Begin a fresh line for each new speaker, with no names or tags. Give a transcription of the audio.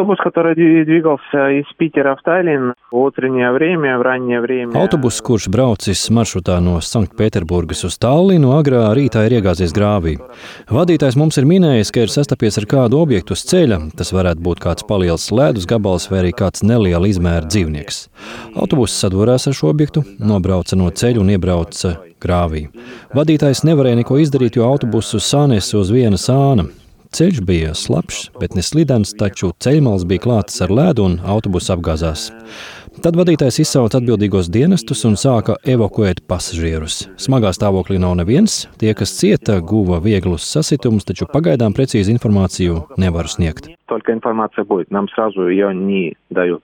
Автобус, который двигался из Питера в Таллин в утреннее время, в раннее время.
Autobuss, kurš braucis maršrutā no Sanktpēterburgas uz Tallinu, agrā rītā ir iegāzies grāvī. Vadītājs mums ir minējis, ka ir sastapies ar kādu objektu uz ceļa. Tas varētu būt kāds paliels ledus gabals vai arī kāds neliela izmēra dzīvnieks. Autobuss sadūrās ar šo objektu, nobrauca no ceļa un iebrauca grāvī. Vadītājs nevarēja neko izdarīt, jo autobusu sānesa uz viena sāna. Ceļš bija slapjš, bet ne slidens, taču ceļmals bija klātas ar ledu un autobuss apgāzās. Tad vadītājs izsauca atbildīgos dienestus un sāka evakuēt pasažierus. Smagā stāvoklī nav neviens, tie, kas cieta, guva vieglus sasitumus, taču pagaidām precīzi informāciju nevaru sniegt.
Только информация будет, нам сразу ее не дают.